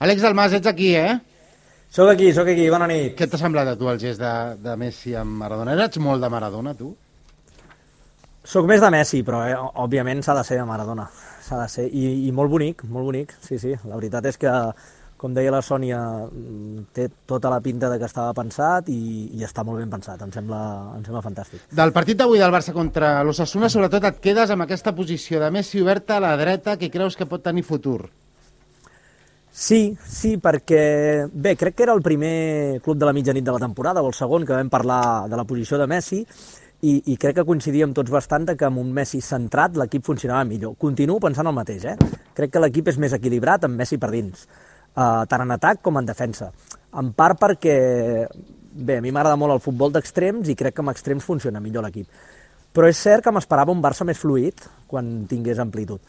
Àlex Dalmas, ets aquí, eh? Soc aquí, bona nit. Què t'ha semblat a tu el gest de Messi amb Maradona? Eres molt de Maradona, tu? Soc més de Messi, però òbviament s'ha de ser de Maradona. S'ha de ser, i molt bonic, sí. La veritat és que, com deia la Sònia, té tota la pinta de que estava pensat i està molt ben pensat, em sembla fantàstic. Del partit d'avui del Barça contra l'Osasuna, sobretot et quedes amb aquesta posició de Messi oberta a la dreta que creus que pot tenir futur. Sí, perquè, bé, crec que era el primer club de la mitjanit de la temporada, o el segon, que vam parlar de la posició de Messi, i crec que coincidíem tots bastant que amb un Messi centrat l'equip funcionava millor. Continuo pensant el mateix, Crec que l'equip és més equilibrat amb Messi per dins, tant en atac com en defensa. En part perquè, bé, a mi m'agrada molt el futbol d'extrems i crec que amb extrems funciona millor l'equip. Però és cert que m'esperava un Barça més fluid quan tingués amplitud.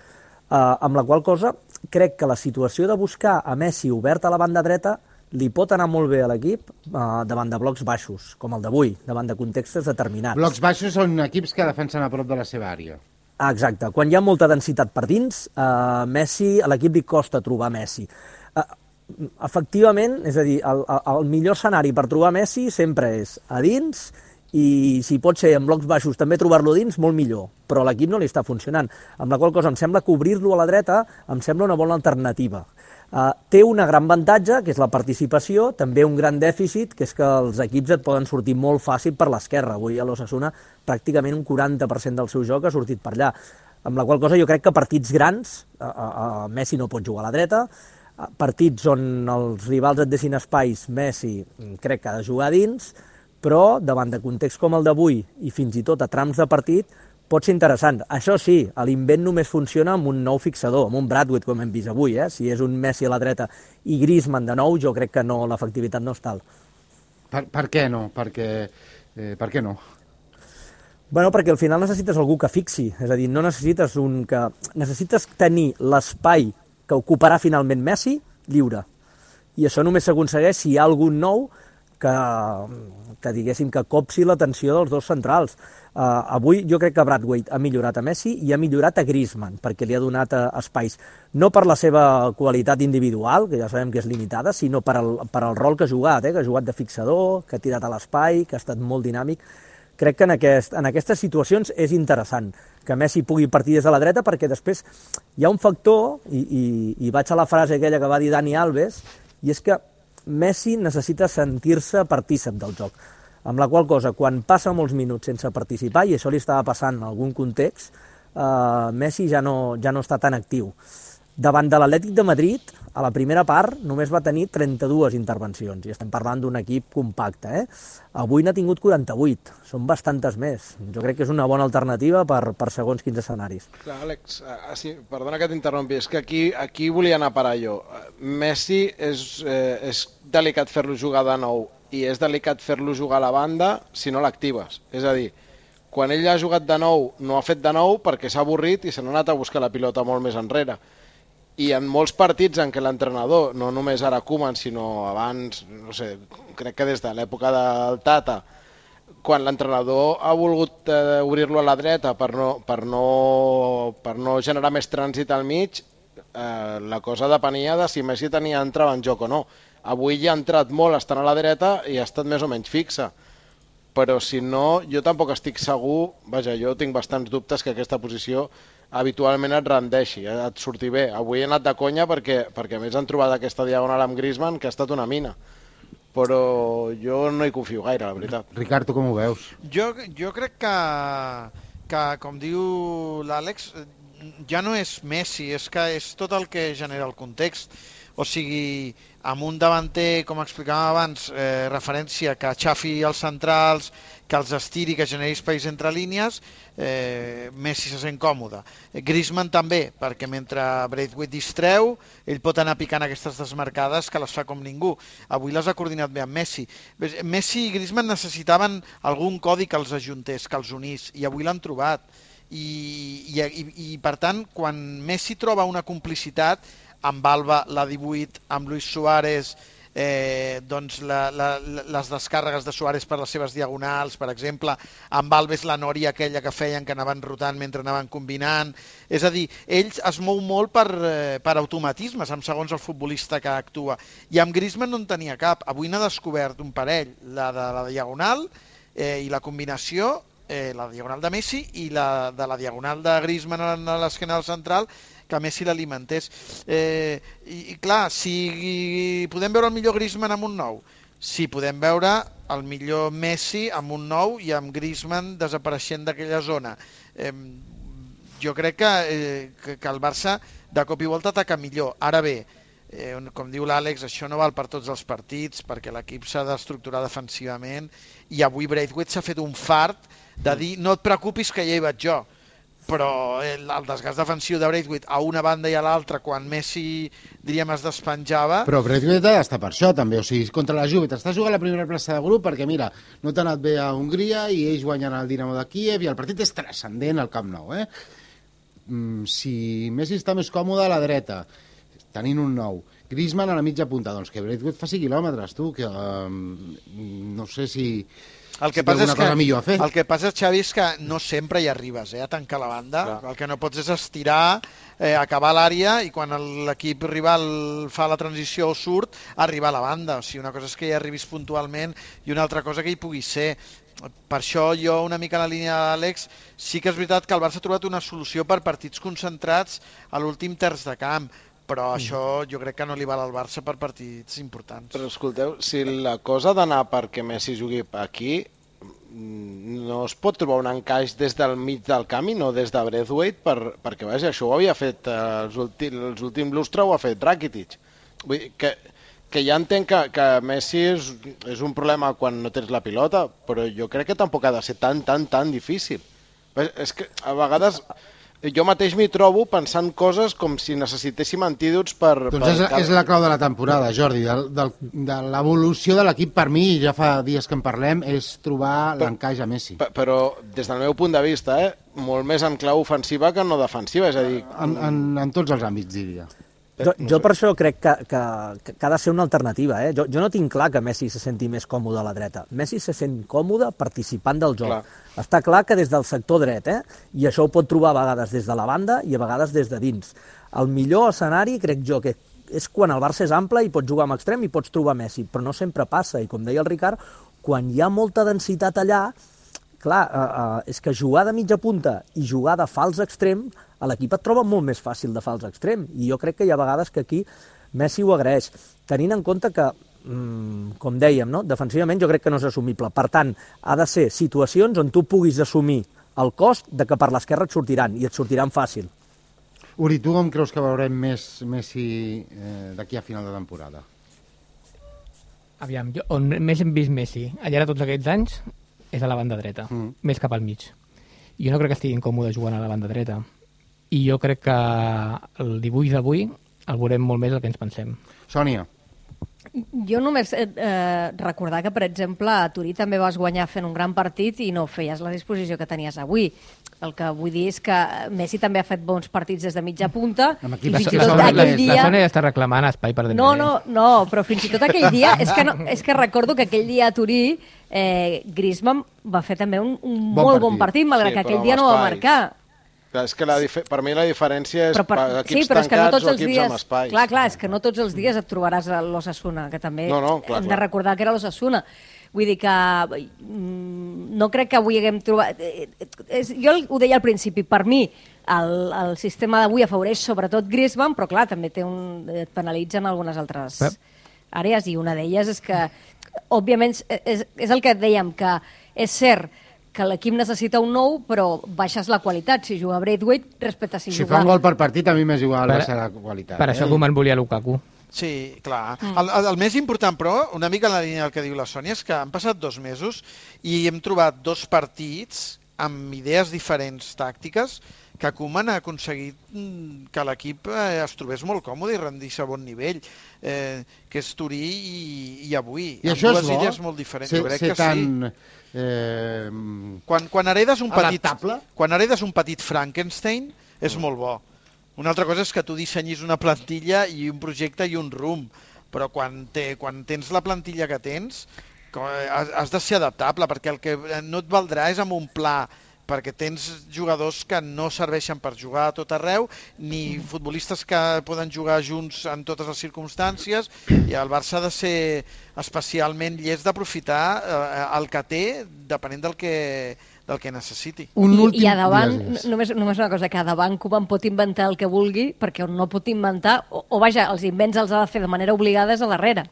Amb la qual cosa, crec que la situació de buscar a Messi obert a la banda dreta li pot anar molt bé a l'equip davant de blocs baixos, com el d'avui, davant de contextes determinats. Blocs baixos són equips que defensen a prop de la seva àrea. Exacte. Quan hi ha molta densitat per dins, a l'equip li costa trobar Messi. Efectivament, és a dir, el millor escenari per trobar Messi sempre és a dins, i si pot ser en blocs baixos també trobar-lo dins, molt millor, però l'equip no li està funcionant, amb la qual cosa em sembla que obrir-lo a la dreta em sembla una bona alternativa. Té una gran avantatge, que és la participació, també un gran dèficit, que és que els equips et poden sortir molt fàcil per l'esquerra. Avui a l'Osasuna pràcticament un 40% del seu joc ha sortit per allà, amb la qual cosa jo crec que partits grans, Messi no pot jugar a la dreta, partits on els rivals et deixin espais, Messi crec que ha de jugar dins, però davant de context com el d'avui i fins i tot a trams de partit pot ser interessant. Això sí, l'invent només funciona amb un nou fixador, amb un Braithwaite, com hem vist avui. Si és un Messi a la dreta i Griezmann de nou, jo crec que no, l'efectivitat no és tal. Per què no? Per què no? Bueno, perquè al final necessites algú que fixi, és a dir, no necessites necessites tenir l'espai que ocuparà finalment Messi lliure. I això només s'aconsegueix si hi ha algun nou que diguéssim que copsi l'atenció dels dos centrals. Avui jo crec que Braithwaite ha millorat a Messi i ha millorat a Griezmann, perquè li ha donat espais, no per la seva qualitat individual, que ja sabem que és limitada, sinó per al rol que ha jugat, que ha jugat de fixador, que ha tirat a l'espai, que ha estat molt dinàmic. Crec que en aquestes situacions és interessant que Messi pugui partir des de la dreta, perquè després hi ha un factor, i vaig a la frase aquella que va dir Dani Alves, i és que Messi necessita sentir-se partícip del joc, amb la qual cosa, quan passa molts minuts sense participar, i això li estava passant en algun context, Messi ja no està tan actiu. Davant de l'Atlètic de Madrid, a la primera part, només va tenir 32 intervencions, i estem parlant d'un equip compacte. Avui n'ha tingut 48, són bastantes més. Jo crec que és una bona alternativa per segons quins escenaris. Clar, Àlex, perdona que t'interrompi, és que aquí volia anar a parar jo. Messi és delicat fer-lo jugar de nou, i és delicat fer-lo jugar a la banda si no l'actives. És a dir, quan ell ha jugat de nou, no ha fet de nou perquè s'ha avorrit i se n'ha anat a buscar la pilota molt més enrere. I en molts partits en què l'entrenador, no només ara Koeman, sinó abans, no sé, crec que des de l'època del Tata, quan l'entrenador ha volgut obrir-lo a la dreta per no generar més trànsit al mig, la cosa depenia de si Messi entrava en joc o no. Avui ja ha entrat molt estant a la dreta i ha estat més o menys fixa. Però si no, jo tampoc estic segur, vaja, jo tinc bastants dubtes que aquesta posició habitualment et rendeixi, et surti bé. Avui he anat de conya perquè a més han trobat aquesta diagonal amb Griezmann que ha estat una mina. Però jo no hi confio gaire, la veritat. Ricard, tu com ho veus? Jo crec que com diu l'Àlex, ja no és Messi, és que és tot el que genera el context. O sigui, amb un davanter, com explicàvem abans, referència que aixafi els centrals, que els estiri, que generi espais entre línies, Messi se sent còmode. Griezmann també, perquè mentre Braithwaite distreu, ell pot anar picant aquestes desmarcades que les fa com ningú. Avui les ha coordinat bé amb Messi. Messi i Griezmann necessitaven algun codi que els ajuntés, que els unís, i avui l'han trobat. I per tant, quan Messi troba una complicitat amb Alba, la 18, amb Luis Suárez, doncs les descàrregues de Suárez per les seves diagonals, per exemple, amb Alves la nòria aquella que feien que anaven rotant mentre anaven combinant. És a dir, ell es mou molt per automatismes, segons el futbolista que actua. I amb Griezmann no en tenia cap. Avui n'ha descobert un parell, la de la diagonal i la combinació, la diagonal de Messi i la de la diagonal de Griezmann a l'esquena del central, que Messi l'alimentés. I clar, si podem veure el millor Griezmann amb un nou, si podem veure el millor Messi amb un nou i amb Griezmann desapareixent d'aquella zona. Jo crec que el Barça de cop i volta ataca millor. Ara bé, com diu l'Àlex, això no val per tots els partits, perquè l'equip s'ha d'estructurar defensivament, i avui Braithwaite s'ha fet un fart de dir no et preocupis que ja hi vaig jo. Però el desgast defensiu de Braithwaite a una banda i a l'altra, quan Messi, diríem, es despenjava... Però Braithwaite ha d'estar per això, també. O sigui, contra la Juve t'estàs jugant la primera plaça de grup perquè, mira, no t'ha anat bé a Hongria i ells guanyen el Dinamo de Kíev i el partit és transcendent al Camp Nou, Si Messi està més còmode a la dreta, tenint un nou, Griezmann a la mitja punta, doncs que Braithwaite faci quilòmetres, tu, que no sé si... El que passa és, Xavi, és que no sempre hi arribes a tancar la banda. Clar. El que no pots és estirar, acabar l'àrea i quan l'equip rival fa la transició o surt, arribar a la banda. O sigui, una cosa és que hi arribis puntualment i una altra cosa que hi pugui ser. Per això jo, una mica en la línia d'Àlex, sí que és veritat que el Barça ha trobat una solució per partits concentrats a l'últim terç de camp, però això jo crec que no li val al Barça per partits importants. Però escolteu, si la cosa ha d'anar perquè Messi jugui aquí, no es pot trobar un encaix des del mig del camp i no des de Braithwaite, perquè vaja, això ho havia fet els últims lustres, ho ha fet Rakitic. Vull dir que ja entenc que Messi és un problema quan no tens la pilota, però jo crec que tampoc ha de ser tan difícil. És que a vegades... Jo mateix m'hi trobo pensant coses com si necessitéssim antídots per... Doncs és la clau de la temporada, Jordi, de l'evolució de l'equip per mi, ja fa dies que en parlem, és trobar l'encaix a Messi. Però des del meu punt de vista, molt més en clau ofensiva que no defensiva, és a dir... En tots els àmbits, diria. Jo per això crec que ha de ser una alternativa. Jo no tinc clar que Messi se senti més còmode a la dreta. Messi se sent còmode participant del joc. Clar. Està clar que des del sector dret, i això ho pot trobar a vegades des de la banda i a vegades des de dins. El millor escenari, crec jo, que és quan el Barça és ample i pots jugar amb extrem i pots trobar Messi, però no sempre passa. I com deia el Ricard, quan hi ha molta densitat allà, clar, és que jugar de mitja punta i jugar de fals extrem, a l'equip et troba molt més fàcil de fals extrem, i jo crec que hi ha vegades que aquí Messi ho agraeix, tenint en compte que, com dèiem, no? Defensivament jo crec que no és assumible. Per tant, ha de ser situacions on tu puguis assumir el cost de que per l'esquerra et sortiran, i et sortiran fàcil. Uri, tu com creus que veurem més Messi d'aquí a final de temporada? Aviam, on més hem vist Messi al llarg de tots aquests anys és a la banda dreta, més cap al mig. Jo no crec que estigui incòmode jugant a la banda dreta. I jo crec que el dibuix d'avui el veurem molt més del que ens pensem. Sònia. Jo només recordar que, per exemple, a Turí també vas guanyar fent un gran partit i no feies la disposició que tenies avui. El que vull dir és que Messi també ha fet bons partits des de mitja punta. La Sònia ja està reclamant espai per Dembélé. No, però fins i tot aquell dia... És que recordo que aquell dia a Turí Griezmann va fer també un molt bon partit, malgrat que aquell dia no va marcar. És que per mi la diferència és equips tancats o equips amb espais. Clar, és que no tots els dies et trobaràs a l'Osasuna, que també hem de recordar que era l'Osasuna. Vull dir que no crec que avui haguem trobat... Jo ho deia al principi, per mi el sistema d'avui afavoreix sobretot Griezmann, però clar, també et penalitza en algunes altres àrees, i una d'elles és que, òbviament, és el que dèiem, que és cert que l'equip necessita un nou, però baixes la qualitat si juga Braithwaite respecte a si juga... Si fa un gol per partit, a mi m'és igual baixar la qualitat. Per això Koeman volia Lukaku. Sí, clar. El més important, però, una mica en la línia del que diu la Sònia, és que han passat 2 mesos i hem trobat 2 partits amb idees diferents tàctiques que Koeman ha aconseguit que l'equip es trobés molt còmode i rendís a bon nivell, que és Turí i avui. I això és bo? Amb 2 idees molt diferents. Jo crec que tan... sí. Quan heredes un petit Frankenstein és molt bo. Una altra cosa és que tu dissenyis una plantilla i un projecte i un rumb, però quan tens la plantilla que tens, has de ser adaptable, perquè el que no et valdrà és amb un pla, perquè tens jugadors que no serveixen per jugar a tot arreu, ni futbolistes que poden jugar junts en totes les circumstàncies, i el Barça ha de ser especialment llest d'aprofitar el que té, depenent del que necessiti. I a davant, només una cosa, que a davant Koeman pot inventar el que vulgui, perquè no pot inventar, o vaja, els invents els ha de fer de manera obligada a darrere.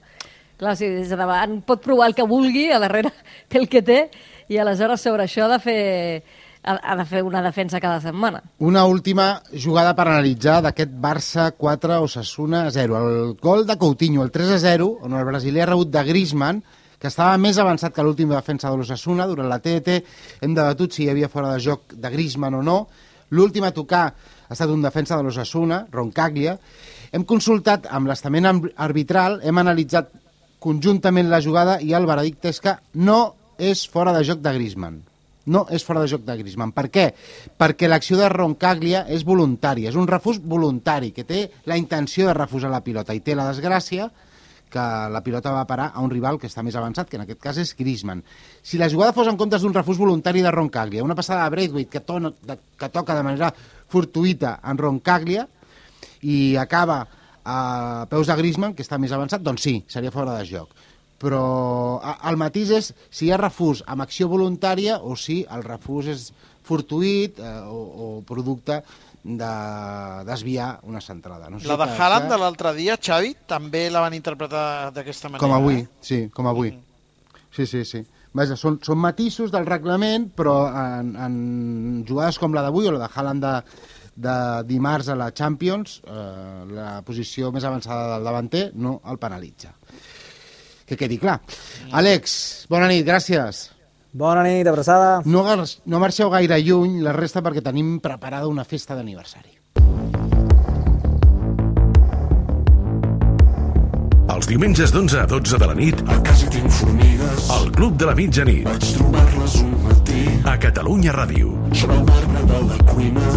Clar, si des de davant pot provar el que vulgui, a darrere té el que té, i aleshores sobre això ha de fer una defensa cada setmana. Una última jugada per analitzar d'aquest Barça 4, Osasuna 0. El gol de Coutinho, el 3-0, on el brasiler ha rebut de Griezmann, que estava més avançat que l'últim defensa de l'Osasuna. Durant la TDT hem debatut si hi havia fora de joc de Griezmann o no. L'últim a tocar ha estat un defensa de l'Osasuna, Roncaglia. Hem consultat amb l'estament arbitral, hem analitzat conjuntament la jugada i el veredicte és que no és fora de joc de Griezmann. No és fora de joc de Griezmann. Per què? Perquè l'acció de Roncaglia és voluntària, és un refús voluntari, que té la intenció de refusar la pilota i té la desgràcia que la pilota va parar a un rival que està més avançat, que en aquest cas és Griezmann. Si la jugada fos en comptes d'un refús voluntari de Roncaglia, una passada de Braithwaite que toca de manera fortuïta en Roncaglia i acaba a peus de Griezmann, que està més avançat, doncs sí, seria fora de joc. Però el matís és si hi ha refús amb acció voluntària o si el refús és fortuït o producte de desviar una centrada. No sé la de Haaland de l'altre dia, Xavi, també la van interpretar d'aquesta manera. Com avui, sí, com avui. Sí. Vaja, són matisos del reglament, però en jugades com la d'avui o la de Haaland de dimarts a la Champions, la posició més avançada del davanter no el penalitza. Que quedi clar. Àlex, bona nit, gràcies. Bona nit, abraçada. No marxeu gaire lluny, la resta, perquè tenim preparada una festa d'aniversari. Els diumenges d'11 a 12 de la nit, a casa tinc formigues, al Club de la Mitjanit. Vaig trobar-les un matí. A Catalunya Ràdio. Sobre el marbre de la cuina